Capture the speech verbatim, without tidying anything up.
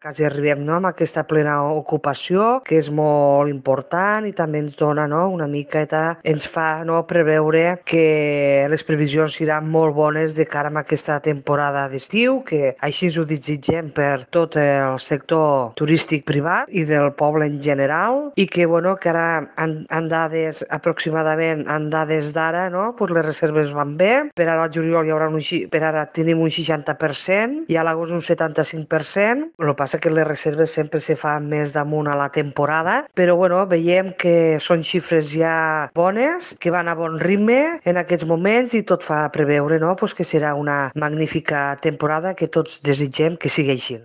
quasi arribem, no?, amb aquesta plena ocupació, que és molt important i també ens dona, no?, una miqueta, ens fa, no?, preveure que les previsions seran molt bones de cara a aquesta temporada d'estiu, que així ho desitgem per tot el sector turístic privat i del poble en general, i que, bueno, que ara en, en dades aproximadament, en dades d'ara, no?, pues les reserves van bé. Per ara al juliol hi haurà un, per ara tenim un seixanta per cent i a l'agost un setanta-cinc per cent. El que passa que les reserves sempre se fan més damunt a la temporada, però bueno, veiem que són xifres ja bones, que van a bon ritme en aquests moments i tot fa preveure, no?, pues que serà una magnífica temporada que tots desitgem que sigui així.